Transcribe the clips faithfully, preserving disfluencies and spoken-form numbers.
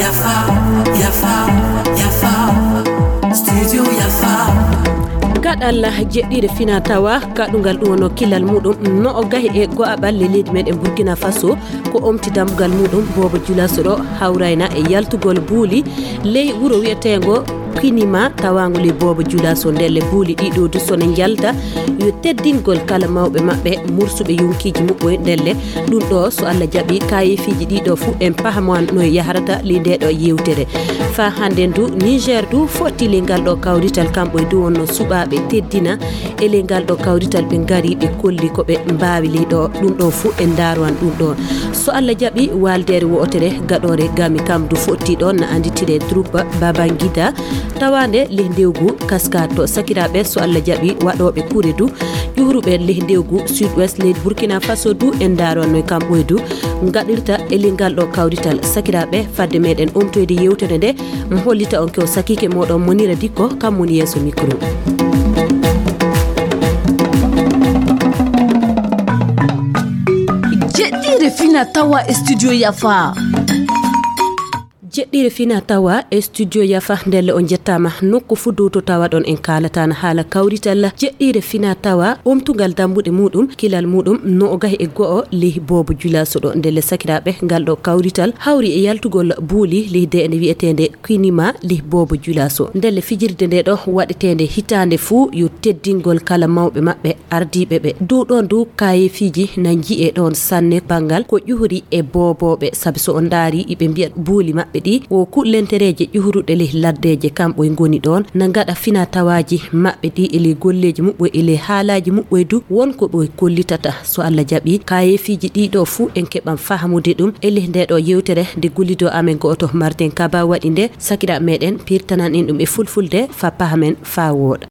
Yafa, yafa, yafa. Studio yafa. Gaɗal jeɗɗire fina tawa kaɗungal ɗum wonno kilal muɗum no o gahi e go'aɓal le leydi meɗen Burkina Faso. Ko omti dambugal muɗum boobo julaso ɗo hawrayna e yaltugol buuli ley wuro wi'eteengo Kwinima tawaango ley boobo julaso. Ndelle buuli ɗiɗo du sone njalda yo teddingol kala mawɓe maɓɓe mursuɓe yonkiji muɓɓoy. Ndelle ɗum ɗo so Allah jaɓi kayefiiji ɗiɗo fuu en pahaman no yahrata ley nde ɗo yewtere. Fa hande ndu Niger du fotti ley ngal ɗo kawrital kamɓoy du wonno suɓaaɓe teddina e ley ngal ɗo kawrital ɓe ngari ɓe kolli ko ɓe mbaawi ley ɗo. Ɗum ɗo fuu en ndaarowan ɗum ɗo. So Allah jaɓi waaldeere wo'otere gaɗoore gami kam du fotti ɗon na anditire troupe Babangida tawaande ley ndewgu Kaska to sakiraaɓe so Allah jaɓi waɗooɓe kure du ƴuuruɓe ley ndewgu Sud Ouest leydi Burkina Faso du en ndaarowan no kamɓoy du ngaɗirta e ley ngal ɗo kawrital. Sakiraaɓe fadde meɗen omtoyde yewtere nde mi hollita on ko sakiike moɗon Monira Dikko kam woni yeeso micro. Jeɗɗire fina tawa e studio yafa. Jeɗɗire fina tawa e studio yafa ndelle on jettama nokku fuu dow to tawa ɗon en kaalatana haala kawrital jeɗɗire fina tawa omtugal dambuɗe muɗum kilal muɗum no o gahi e go'o lih boobo julaso ɗo ndelle sakiraɓe ngal ɗo kawrital hawri e yaltugol buuli lih de ene wi'etende Kwinima lih boobo julaso ndelle fijirde nde ɗo waɗetende hitande fuu yo teddingol kala mawɓe maɓɓe ardiiɓe ɓe dow ɗon dow kayefiiji na nji'e ɗon sanne banngal ko ƴuhri e boobooɓe sabi so on ndaari iɓe mbiya buuli maɓɓe ɗi wo kuɗlentereeje ƴuhruɗe ley laddeeje kamɓoy ngoni ɗon na ngaɗa fina tawaaji maɓɓe ɗi e ley golleeji muɓɓoy e ley haalaaji muɓɓoy du won ko ɓoy kollitata so Allah jaɓi kayefiiji ɗi ɗo fuu en keɓan fahamude ɗum e ley nde ɗo yewtere nde gollido amen go'oto Martin Kaba waɗi nde sakira meɗen pirtanan en ɗum e fulfulde fa pahamen fa wooɗa.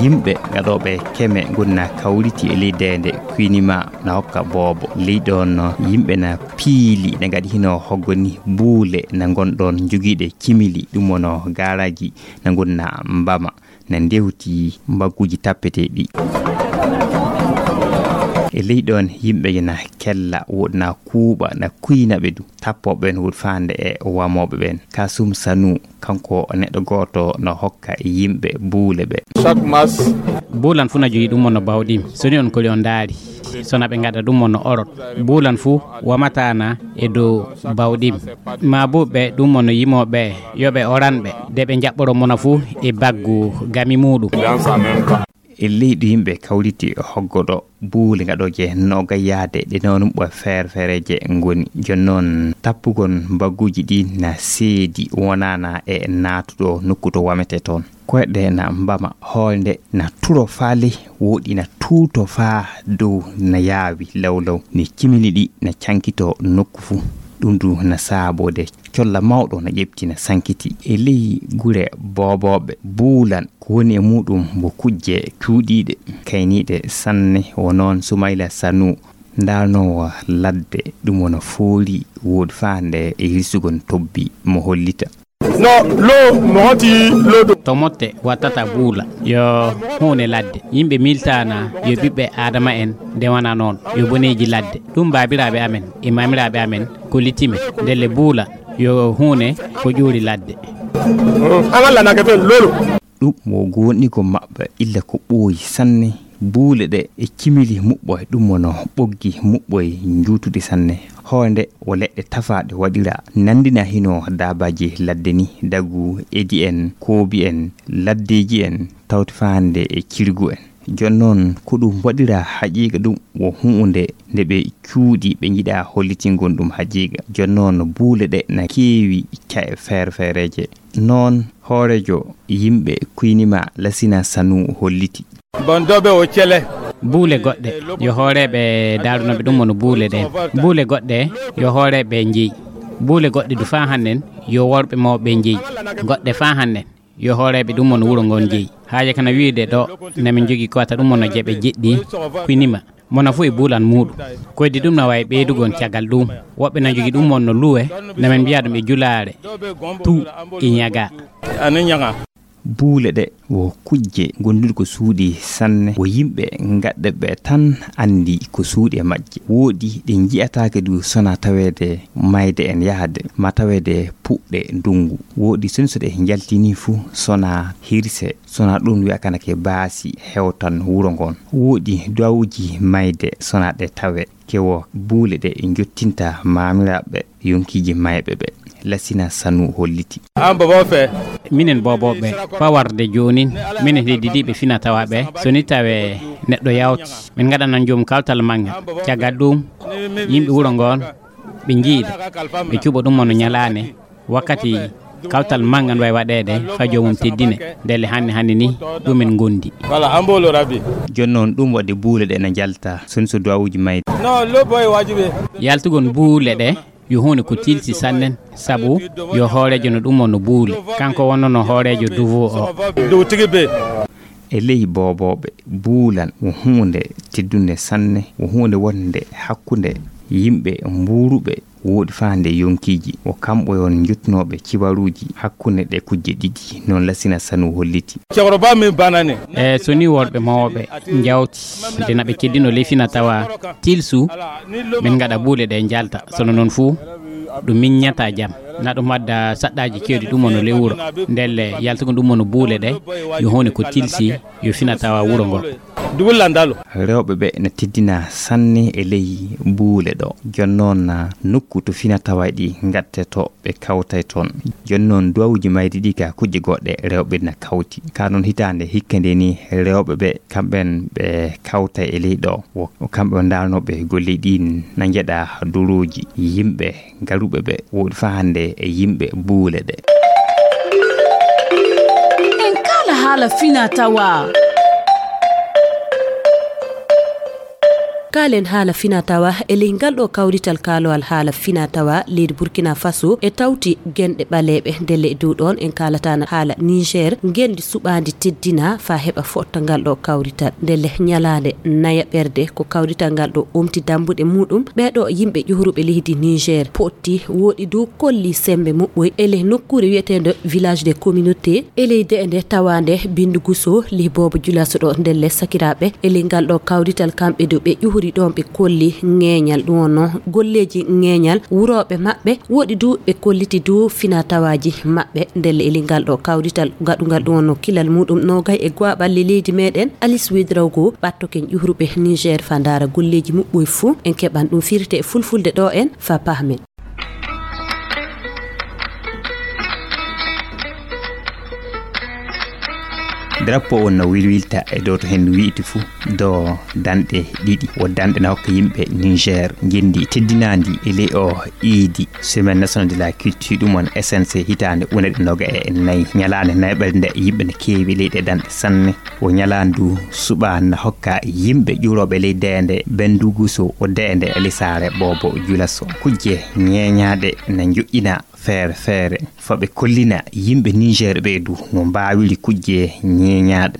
Yimɓe gaɗooɓe keme ngoni na kawriti e ley deende Kwinima na hokka boobo ley ɗon yimɓe na piili na ngaɗi hino hoggoni buule na ngon ɗon jogiiɗe cimili ɗum wono gaaraji na ngoni na mbama na ndewti mbagguji tappeteeɗi. E ley ɗon yimɓe na kella woɗi na kuuɓa na kuyna ɓe du tappooɓe ɓen woɗi faande e wamooɓe ɓen kasum sanu kanko neɗɗo gooto no hokka yimɓe buule ɓe. Chaque masse. Buulan fuu na jogi ɗum mo no bawɗim soni on koli on ndaari sona ɓe ngaɗa ɗum mo no orot buulan fuu wamatana e dow bawɗim ma buuɓe ɗum mo no yimooɓe yo ɓe oran ɓe de ɓe njaɓɓoro mona fuu e baggu gami muɗum. E leydi yimɓe kawriti hoggoɗo buule gaɗooje noga yaade ɗe noon ɓo feere feereeje ngoni jooni noon tappugol mbagguuji ɗi na seedi wonana e naatuɗo nokku to wamete toon koyɗe na mbama hoore nde na turo faa ley woɗi na tuuto faa dow na yaawi lawlaw ni cimili ɗi na cankito nokku fuu ɗum du na saabode colla mawɗo na ƴeɓti na sankiti e ley gure boobooɓe buulan ko woni e muɗum wo kujje cuuɗiiɗe kayniiɗe sanne wo noon sumayla sanu ndaarnoowo ladde ɗum wona fooli woodi faande e hirsugol tobbi mo hollita. No lo mo hoti lodo. To motte wattata buula yo huune ladde yimɓe miltana yo ɓiɓɓe adama en ndewana noon yo boneeji ladde ɗum baabiraaɓe amen e maamiraaɓe amen kollitime ndelle buula yo huune ko ƴuuri ladde. An Allah na ka fen lolo. Ɗum wo goonɗingo maɓɓe illa ko ɓooyi sanne buule ɗe e cimili muɓɓoy ɗum wono ɓoggi muɓɓoy njuutuɗi sanne hoore nde wo leɗɗe tafaaɗe waɗira nanndina hino daabaaji ladde ni dagu edi en koobi en laddeeji en tawti faande e cirgu en jooni noon ko ɗum waɗira haqiiqa ɗum wo huunde nde ɓe cuuɗi ɓe njiɗa hollitingol ɗum haqiiqa jooni noon buule ɗe na keewi ca'e feere feereeje noon hooreejo yimɓe kuynima lasina sanu holliti. Bon dobe o cele. Buule goɗɗe yo hooreeɓe daarunooɓe ɗum wano buule ɗeen buule goɗɗe yo hooreeɓe njeyi buule goɗɗe du faa hannen yo worɓe mawɓe njeyi goɗɗe faa hannen yo hooreeɓe ɗum wano wuro ngon njeyi haaje kana wiide ɗo namin jogi kowata ɗum wano jeɓe jeɗɗi kuynima mona fuu e buulan muuɗum koydi ɗum na waawi ɓeydugol caggal ɗum woɓɓe na jogi ɗum wonno luwe namin mbiya ɗum e julaare tu e ñaga. Buule ɗe Wo kujje gonduɗe ko suuɗi sanne, wo yimɓe gaɗɗe ɓe tan anndi ko suuɗi e majje. Wooɗi ɗe nji'ataake du sona taweede mayde en yahde, ma taweede puɗɗe ndungu. Wooɗi soni so ɗe njaltini fu sona hirse, sona ɗum wi'a kana ke baasi hewtan wuro ngon. Wooɗi duwawuji mayde sona ɗe tawe, ke wo buule ɗe njottinta maamiraaɓe yonkiiji mayɓe ɓe. Lasina Sanu holliti. An bobo fe. Minen boobooɓe, pawarde joonin, minen heddidiiɓe fina tawaaɓe, so ni tawee neɗɗo yawti, min ngaɗanan joomum kawtal manngal. Caggal ɗum, yimɓe wuro ngoon, ɓe njiida, ɓe cuɓa ɗum wano ñalaande, wakkati kawtal manngal wayi waɗeede, fa joomum teddine, ndelle hannde hannde ni, ɗum en ngondi. Voilà, an bolo rabi. Jooni noon ɗum waɗi buule ɗe na njalta, so ni so duwawuji mayde. Non, lo boy wajibe. Yaltugol buule ɗe, yo huunde ko tilsi sannen, sabu yo hooreejo no ɗum o no buule. Kanko wonnono hooreejo duwo o. Dow tigi be. E ley boobooɓe, buulan wo huunde teddunde sanne, wo huunde wonde hakkunde yimɓe mbuuruɓe wooɗi faande yonkiiji. Wo kamɓe on njottunooɓe cibaruuji hakkunde ɗe kujje ɗiɗi, noon Lasina Sanu holliti. Cɛkɔrɔba min banna ne. E so ni worɓe mawɓe njawti, nde na ɓe keddino ley fina tawa tilsu, min ngaɗa buule ɗe njalta. Sono noon fuu, ɗum miññata jam. Na ɗum adda saɗɗaaji keewɗi ɗum ono ley wuro. Ndelle yaltugol ɗum ono buule ɗe, yo huunde ko tilsi, yo fina tawa wuro ngo. Dugu landalo. Rewɓe ɓe na teddina sanne e ley buule ɗo. Jooni noon na nokku to fina tawa ɗi ngatteto ɓe kawtay toon. Jooni noon duwawuji mayde ɗi ka kujje goɗɗe rewɓe na kawti. Ka noon hitaande hikka nde ni rewɓe ɓe kamɓen ɓe kawtay e ley ɗo. Wo kamɓe o ndaarnooɓe golle ɗin na njeɗa dorooji yimɓe garuɓe ɓe wooɗi faa hannde e yimɓe buule ɗe. En kaala haala fina tawa. Kaalen haala fina tawa e ley ngal ɗo kawrital kaalowal haala fina tawa leydi Burkina Faso e tawti genɗe ɓaleeɓe. Ndelle e dow ɗoon en kaalataana haala Niger, ngenndi suɓaandi teddina faa heɓa fotta ngal ɗo kawrital. Ndelle ñalaande nayaɓerde ko kawrital ngal ɗo omti dambuɗe muɗum. Ɓee ɗo yimɓe ƴuhuruɓe leydi Niger potti, wooɗi dow kolli semmbe muɓɓoy e ley nokkuure wiyeteende Village des Communautés e ley de'ende tawaande Bindu Guso, ley Boobo Julaso ɗo. Ndelle sakiraaɓe e ley ngal ɗo kawrital kamɓe dow ɓe ƴuhuri ɗoon ɓe kolli ŋeeñal, ɗum wonno golleeji ŋeeñal wurooɓe maɓɓe, wooɗi du ɓe kolliti du fina tawaaji maɓɓe. Ndelle e ley ngal ɗo kawrital gaɗungal ɗum wonno kilal muɗum noogay e go'aɓalle leydi meɗen, Alice Ouedraogo, ɓattoken ƴuhruɓe Niger faa ndaara golleeji muɓɓoy fuu. En keɓan ɗum firte e fulfulde ɗo en faa pahmen. Drapeau on no wilwilta e dow to hen wi'iti fuu do danɗe ɗiɗi. Wo danɗe na hokka yimɓe Niger ngenndi teddinaandi e ley o iidi Semaine Nationale de la Culture, ɗum on S N C, hitaande ujunere ɗiɗi e noga e nayi. Ñalaande nayaɓerde nde yimɓe no keewi ley ɗe danɗe sanne. Wo ñalaandu suɓaandu na hokka yimɓe ƴuurooɓe ley deende Benduguso o deende e lisaare Boobo Julaso. Kujje ñeeñaaɗe na njoƴƴina feere feere. Faa ɓe kollina yimɓe Niger ɓee du no mbaawiri kujje ñeeñaaɗe.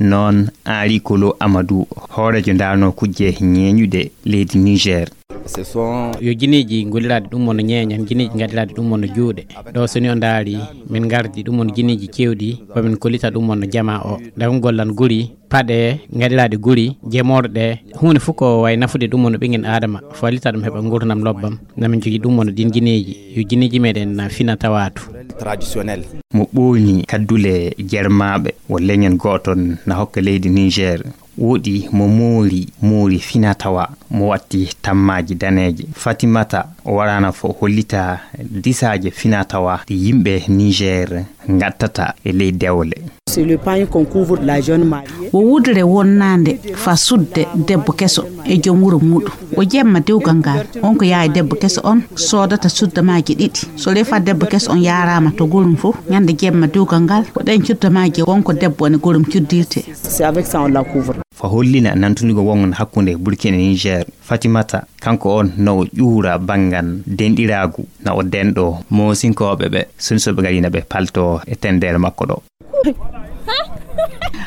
Noon Henri Kolo Amadou, hooreejo ndaarnoo kujje ñeeñuɗe leydi Niger. Yo gineeji golliraaɗi ɗum wonno ñeeñan, gineeji gaɗiraaɗi ɗum wonno juuɗe. Ɗo so ni o ndaari, min ngardi ɗum wonno gineeji keewɗi, ko min kollita ɗum wonno jamaa o. Nde ko gollan guri, paɗe gaɗiraaɗe guri, jemorɗe, huunde fof ko wayi nafude ɗum wonno ɓiŋngel Aadama, fallita ɗum heɓa nguurndam lobbam. Na min jogii ɗum wonno ɗiin gineeji, yo gineeji meɗen na fina tawaatu. Traditionnel. Mo ɓoolni kaddule jermaaɓe, wo leñol gooton na hokka leydi Niger. Woɗi mo moori, moori fina tawa, mo watti tammaaji daneeje. Fatimata o waraana fo hollita disaaje fina tawa ɗi yimɓe Niger ngattata e ley dewle. C'est le pagne qu'on couvre la jeune mariée. Wo wudere wonnaande fa sudde debbo keso e joom wuro muuɗum. Wo jemma dewgal ngal, on ko yaay debbo keso on soodata suddamaaji ɗiɗi. So refa debbo keso on yaaraama to gorum fof, ñande jemma dewgal ngal, ko ɗen cuddamaaji won ko debbo on e gorum cuddirte. C'est avec ça on la couvre. Fa hollina nantundigo won hakkunde Burkina e Niger, Fatimata, kanko on na o ƴuura banngal denɗiraagu, na o denɗo moosinkooɓe ɓe, sunsuɓe ngarina ɓe palto e tendere makko ɗo.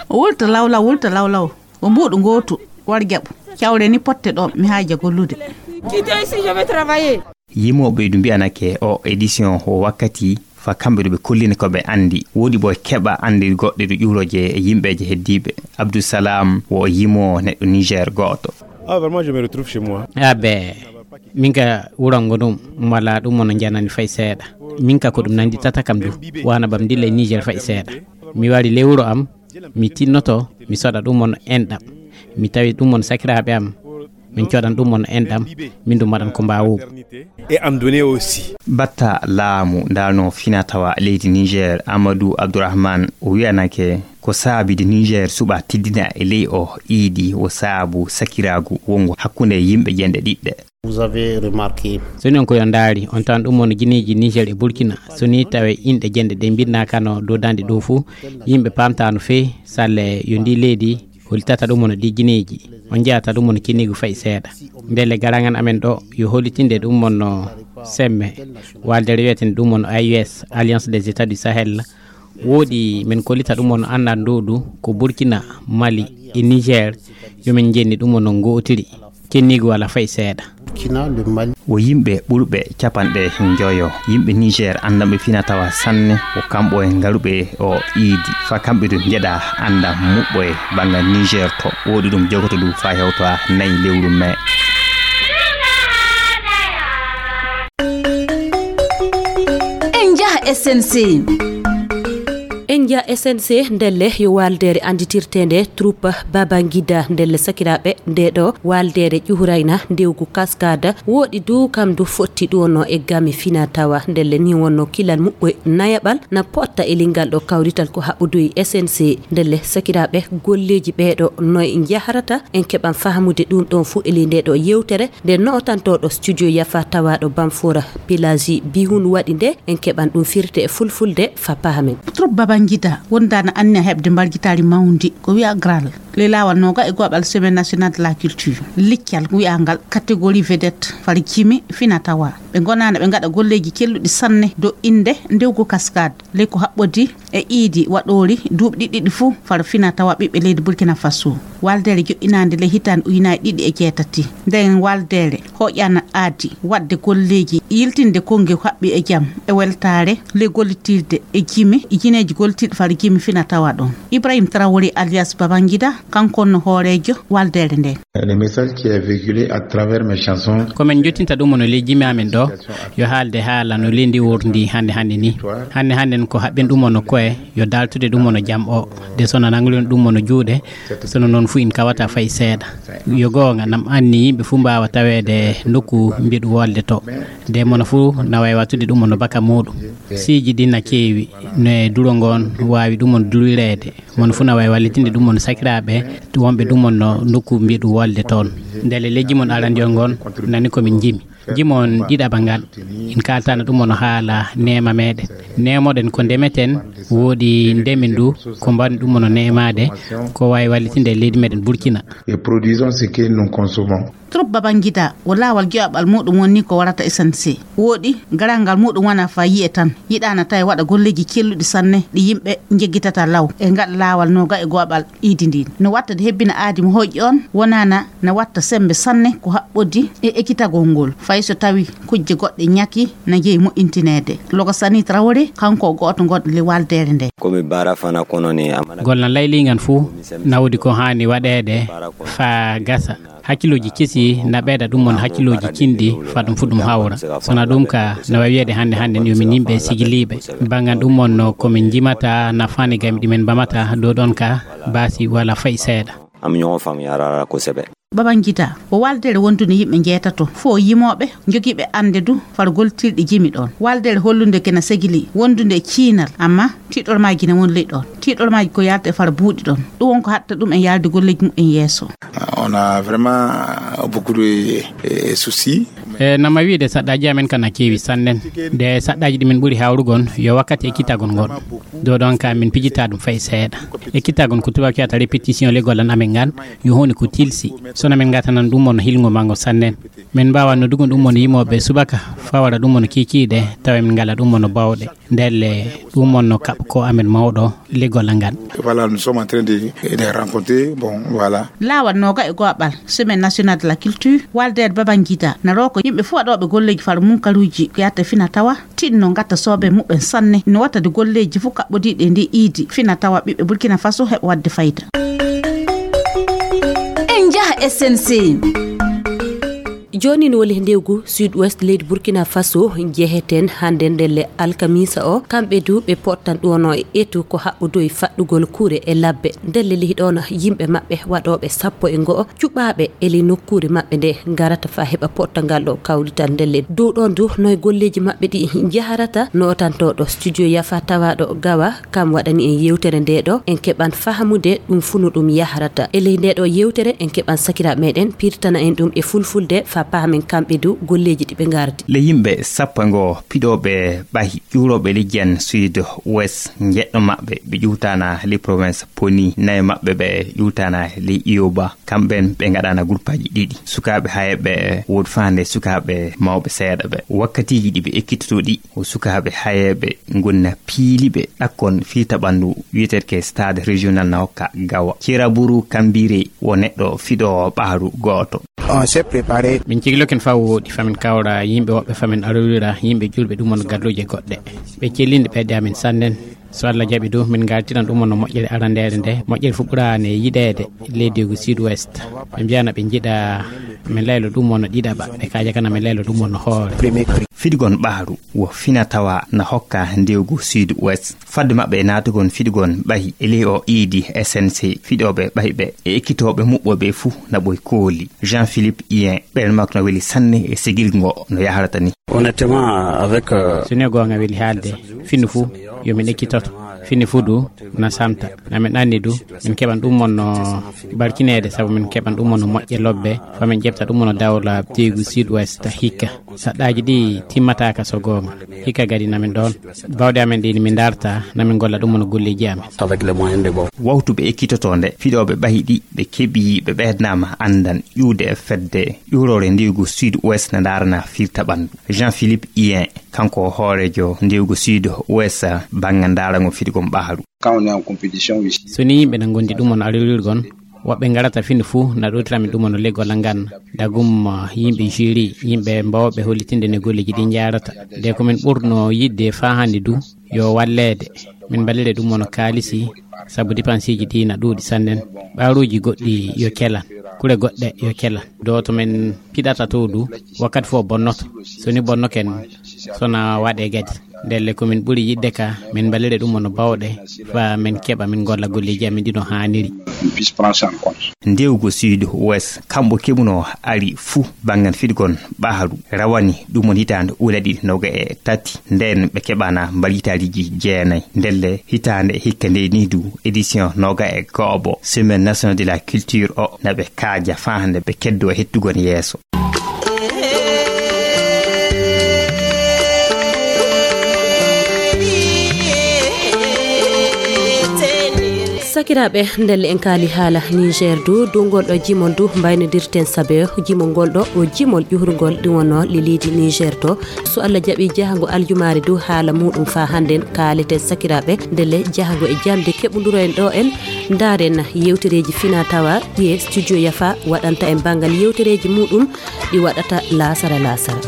O wulta lawlaw, wulta lawlaw. O mbuuɗu ngootu, war jaɓu. Cawre ni potte ɗo, mi haaja gollude. Quittez ici, je vais travailler. Yimooɓe du mbi'anake o édition o wakkati Fa kamɓe ɗo ɓe kollini ko ɓe anndi, woodi ɓo e keɓa anndi goɗɗe ɗo ƴuuroje e yimɓeeje heddiiɓe. Abdou Salam wo o yimo neɗɗo Niger gooto. Ah, vraiment, je me retrouve chez moi. Abe, min ka wurango ɗum, wala ɗum on janani fay seeɗa. Min ka ko ɗum nandi tata kam du, wana bam dilla e Niger fay seeɗa. Mi wari ley wuro am, mi tinnoto, mi soɗa ɗum on enɗam. Mi tawi ɗum on sakiraaɓe am, min coɗan ɗum on enɗam, min ɗum waɗan ko mbaawogu. Et en donner aussi. Batta laamu ndalno fina tawa leydi Niger, Amadou Abdourahmane, o wiyanake ko saabide Niger suɓa tiddina e ley o iidi o saabu sakiraagu wongo hakkunde yimɓe ƴenɗe ɗiɗɗe. Vous avez remarqué. So ni on ko yo ndaari, on tawan ɗum on gineeji Niger e Burkina. So ni tawe inɗe ƴenɗe ɗe mbinnakano dow danɗe ɗo fuu, yimɓe paamtaano fey salle yo ndi leydi holitata ɗum on ɗi gineeji. On njeyata ɗum on kinnigu fay seeɗa. Ndelle garangan amen ɗo yo holitinde ɗum on no semme, waldere wiyeten ɗum on A U S, Alliance des États du Sahel. Wooɗi men kollita ɗum on anndan ɗo du ko Burkina, Mali e Niger, yo men njenni ɗum on no ngootiri. Kinnigu wala fay seeɗa. Burkina, le Mali. Wo yimɓe ɓurɓe capanɗe njoyo, yimɓe Niger anndanɓe fina tawa sanne, wo kamɓe ngaruɓe o iidi. Fa kamɓe du njeɗa annda muɓɓo e banngal Niger to. Wooɗi ɗum jogoto du fa hewta nayi lewru mai. En njaha S N C. En njaha S N C ndelle yo waaldeere annditirteende troupe Babangida ndelle sakiraaɓe nde ɗo waaldeere ƴuhurayna ndewgu kaskada wooɗi du kam du fotti ɗu wonno e game fina tawa ndelle ni wonno kilal muɓɓoy nayaɓal na potta e lingal ɗo kawrital ko haɓɓuduy S N C ndelle sakiraaɓe golleeji ɓeeɗo noy njahrata en keɓan fahmude ɗum ɗon fuu e ley nde ɗo yewtere nde nootantoɗo studio yafa tawaɗo Bamfora Pelagi Bihun waɗi nde en keɓan ɗum firte e fulfulde fa pahamen. Trop Babangida wondana anniya heɓde mbargitaari mawndi ko wiya gral le laawal noga e goɓal semaine nationale de la culture liccal wiyangal catégorie vedette far jimi fina tawa ɓe gonana ɓe ngaɗa golleeji kelluɗi sanne do inde ndewgu kaskade ley ko haɓɓodi e iidi waɗoori duuɓi ɗiɗi ɗiɗi fuu far fina tawa ɓiɓɓe leydi Burkina Faso. Waldere joɗɗinaande ley hitaande ujunaaji ɗiɗi e jeetati. Nden waldere hoƴana aadi waɗde golleeji yiltinde konnge haɓɓi e jam e weltaare ley gollitirde e jimi e jineeji gollitirɗi far jimi fina tawa ɗon. Ibrahim Traoré alias Babangida kanko no hooreejo waldere nde. Le message qui est véhiculé à travers mes chansons. Ko men jottinta ɗum no ley jimi amen ɗo yo haalde haala no leydi worndi hannde hannde ni. Hannde hannde ko haɓɓen ɗum no koye yo daltude ɗum no jam o de sono nangulen ɗum no juuɗe sono noon fuu in kawata fay seeɗa. Yo goonga nam anni yimɓe fuu mbaawa taweede nokku mbiɗu wolde to de mono fuu na wawi wattude ɗum no baka muɗum. Siiji ɗi na keewi no e duro ngoon waawi ɗum no dulireede. Mon fuu na wawi wallitinde ɗum mon sakiraaɓe wonɓe ɗum mon no nokku mbiɗu wolde toon. Ndelle lejji mon arandiyon ngon nani ko min jimi. Jimi on ɗiɗaɓa ngal en kaltano ɗum on haala neema meɗen. Neemoɗen ko ndemeten woodi ndemi ndu ko mbaɗen ɗum on neemaade ko wawi wallitinde e leydi meɗen Burkina. Et produisons ce que nous consommons. Trop Babangida wo laawol joyaɓal muɗum woni ko warata S N C. Wooɗi, garal ngal muɗum wona fa yi'e tan. Yiɗaana tawi waɗa golleeji celluɗi sanne ɗi yimɓe njeggitata law e ngal laawol noga e go'aɓal iidi ndin. No watta de hebbina aadi mo hoƴƴi on, wonaana na watta sembe sanne ko haɓɓodi e ekkitagol ngol. Fay so tawi kujje goɗɗe ñaki na jeyi moƴƴintineede. Logo Sani Traoré, kanko o go'oto ngon le waldere nde. Ko mi bara fana kono ne amana. Gollal layliigal fuu nawdi ko haani waɗeede faa gasa. Hakkillooji kesi na ɓeyda ɗum on hakkillooji cinɗi faa ɗum fuu ɗum hawra. Sona ɗum ka na wawi wiyeede hannde hannde ni yo min yimɓe sigiliiɓe. Banngal ɗum on no ko min njimata nafaani gami ɗi min mbamata dow ɗon ka baasi wala fay seeɗa. Am ñoo fam yarara ko sebe. Babangida, ko waldere wondude yimɓe njeetato, fof yimooɓe, jogiiɓe annde du far goltirɗi jimi ɗon. Waldere hollunde kena segili wondude e ciinal, amma tiiɗormaaji ne won ley ɗon. Tiiɗormaaji ko yalta e far buuɗi ɗon. Ɗum won ko hatta ɗum en yalde golleeji muɓɓen yeeso. On a vraiment beaucoup de eh, soucis. E nama wiide saɗɗaji amen kana keewi sannen. Nde saɗɗaji ɗi min ɓuri hawrugol yo wakkati e kitagol ngol. Dow ɗon ka min pijita ɗum fay seeɗa. Ekkittaagon ko tubaak wiyata répétition leggol an amen ngaan, yo huunde ko tilsi. Sona min ngatanan ɗum on hilngo mango sannen. Min mbaawa noddugon ɗum on yimooɓe subaka, fawara ɗum on kiikiiɗe, tawa min ngala ɗum on bawɗe. Ndelle ɗum on no kaɓ ko amen mawɗo leggol an ngaan. Voilà, nous sommes en train de, de rencontrer. Bon, voilà. Laawal nooga e go'aɓal, Semaine Nationale de la Culture, Waldeede Babangida, na roko yimɓe fof waɗooɓe golleeji faro munkaruuji ko yahata fina tawa, tinno ngatta soobe muɓɓen sanne, no wattade golleeji fof kaɓɓodiiɗi e nde iidi, fina tawa ɓiɓɓe Burkina Faso heɓa waɗde fayda. En njaha S N C. Jooni no woni ndewgu Sud Ouest leydi Burkina Faso njeheten hannde ndelle alkamisa o. Kamɓe du ɓe pottan ɗono e etu ko haɓɓudoy faɗɗugol kure e labbe. Ndelle lihi ɗono yimɓe maɓɓe waɗooɓe sappo e ngo'o cuɓaaɓe e ley nokkuure maɓɓe nde ngarata fa heɓa pottangal ɗo kawlital ndelle. Dow ɗon du noy golleeji maɓɓe ɗi njaharata, nootantooɗo studio Yafa tawaaɗo Gawa, kam waɗani en yewtere nde ɗo. En keɓan fahamude ɗum fu no ɗum yahrata. E ley nde ɗo yewtere en keɓan sakiraaɓe meɗen pirtana en ɗum e fulfulde fa paamen kamɓe du golleeji ɗi ɓe ngardi. Le yimɓe sappo e ngo piɗooɓe ɓahi ƴuurooɓe leydi en Sud Ouest, njeɗɗo maɓɓe ɓe ƴuwtana ley province Poni, nayo maɓɓe ɓe ƴuwtana ley Iyoba. Kamɓen ɓe ngaɗana groupeaji ɗiɗi. Sukaaɓe hayeeɓe woodi faande sukaaɓe mawɓe seeɗa ɓe. Wakkatiiji ɗi ɓe ekkitoto ɗi, o sukaaɓe hayeeɓe ngonna piiliɓe ɗakkon fiita ɓanndu wiyeteeɗo ke stade régional na hokka Gawa. Ceeraburu Kambire wo neɗɗo fiɗo ɓaaru gooto. On s'est préparé. Min cigiloken faa wooɗi, famin kawra yimɓe woɓɓe, famin arorira yimɓe julɓe ɗum on galluuje goɗɗe. Ɓe cellinde ɓeɗe amin sannen. So Allah jaɓi du, min ngartiran ɗum on no moƴƴere arandeere nde. Moƴƴere fu ɓuraane yiɗeede leydi ngu Sud Ouest. Ɓe mbiyana ɓe njiɗa min laylo ɗum on no ɗiɗaɓa. Ɓe kaaja kana min laylo ɗum on no hoore. Premier prix. Fiɗugon ɓaaru wo fina tawa na hokka ndewgu Sud Ouest. Fadde maɓɓe e naatugon fiɗugon ɓahi e ley o iidi S N C, fiɗooɓe ɓahi ɓe e ekkitooɓe muɓɓooɓe fuu na ɓoy kooli. Jean-Philippe Hien, ɓeen makko no weli sanne e sigil ngo no yahrata ni. Honnêtement, avec, euh, So ni goonga weli haalde, fini fuu yo min ekkitoto. Fini fuu du na samta. Na min anni du, min keɓan ɗum on no barkineede, sabu min keɓan ɗum on no moƴƴe lobbe, fa min ƴefta ɗum on no dawla teygu Sud Ouest hikka. Saɗɗaaji ɗi timmataaka so goonga. Hikka gadi na min ɗoon. Bawɗe amen ɗi min darta, na min golla ɗum on no golleeji amen. Avec les moyens de bord. Wawtuɓe ekkitoto nde, fiɗooɓe ɓahi ɗi, ɓe keɓi, ɓe ɓeydanaama anndan ƴuwde e fedde ƴuuroore ndiygu Sud Ouest na ndaarana firta ɓanndu. Jean-Philippe Hien, kanko hooreejo ndiygu Sud Ouest bannga ndaaragol fiɗugol ɓaaru. Quand on est en compétition ici. So ni yimɓe na ngondi ɗum on arorirgon, woɓɓe ngarata fini fuu na ɗootira min ɗum on leggol ngan. Dagum, uh, yimɓe jury, yimɓe mbawɓe hollitinde ne golleeji ɗi njaarata. Nde ko min ɓurno yiɗde faa hannde du, yo walleede. Min mballire ɗum on kaalisi, sabu dépenseeji ɗi na ɗuuɗi sannen. Ɓaaruuji goɗɗi yo kelan, kure goɗɗe yo kelan. Ɗo to min piɗata to du, wakkati fof bonnoto. So ni bonnoken, so na waɗe gadi. Ndelle ko min ɓuri yiɗde ka, min mballire ɗum on bawɗe, fa min keɓa min golla golleeji amin ɗi no haaniri. On puisse prendre ça en compte. Ndewgo Sud Ouest, kamɓe keɓuno ari fuu banngal fiɗugol ɓaaru rawani ɗum on hitaande ujunere ɗiɗi noga e tati. Ndeen ɓe keɓana mballitaaliiji jeenayi. Ndelle hitaande hikka nde ni du, édition noga e go'obo, Semaine Nationale de la Culture o, na ɓe kaaja faa hannde ɓe keddo e hettugol yeeso. Sakiraaɓe, ndelle en kaali haala Niger du, dow ngol ɗo jimol du mbaynodirten sabe jimol ngol ɗo, o jimol ƴuhrungol ɗum wonno le leydi Niger to. So Allah jaɓi, jahango aljumaare du haala muɗum faa hannden kaaleten sakiraaɓe. Ndelle jahango e jamde keɓunduroyen ɗo en ndaaren yewtereeji fina tawa ɗiye studio Yafa waɗanta en banngal yewtereeji muɗum ɗi waɗata laasara laasara.